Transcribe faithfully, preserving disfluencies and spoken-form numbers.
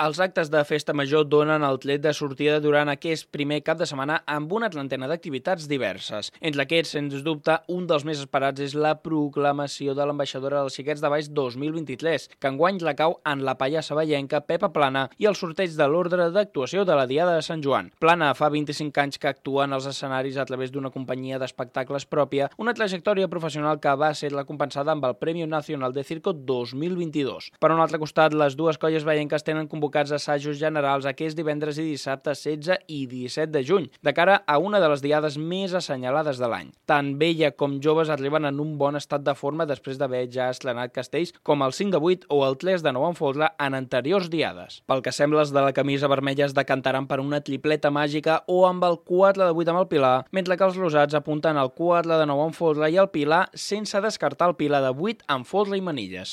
Els actes de festa major donen el tret de sortida durant aquest primer cap de setmana amb una trentena d'activitats diverses. Entre aquests, sens dubte, un dels més esperats és la proclamació de l'ambaixadora dels Xiquets de Valls dos mil vint-i-tres, que enguany la cau en la pallassa vallenca Pepa Plana i el sorteig de l'ordre d'actuació de la Diada de Sant Joan. Plana fa vint-i-cinc anys que actua en els escenaris a través d'una companyia d'espectacles pròpia, una trajectòria professional que va ser la compensada amb el Premio Nacional de Circo dos mil vint-i-dos. Per un altre costat, les dues colles vallenques tenen convocats assajos generals aquest divendres i dissabte setze i disset de juny, de cara a una de les diades més assenyalades de l'any. Tant vella com joves arriben en un bon estat de forma després d'haver ja estrenat castells com el cinc de vuit o el tres de nou en folre en anteriors diades. Pel que sembla, els de la camisa vermella es decantaran per una tripleta màgica o amb el quatre de vuit amb el Pilar, mentre que els rosats apunten al quatre de nou en folre i el Pilar sense descartar el Pilar de vuit amb folre i manilles.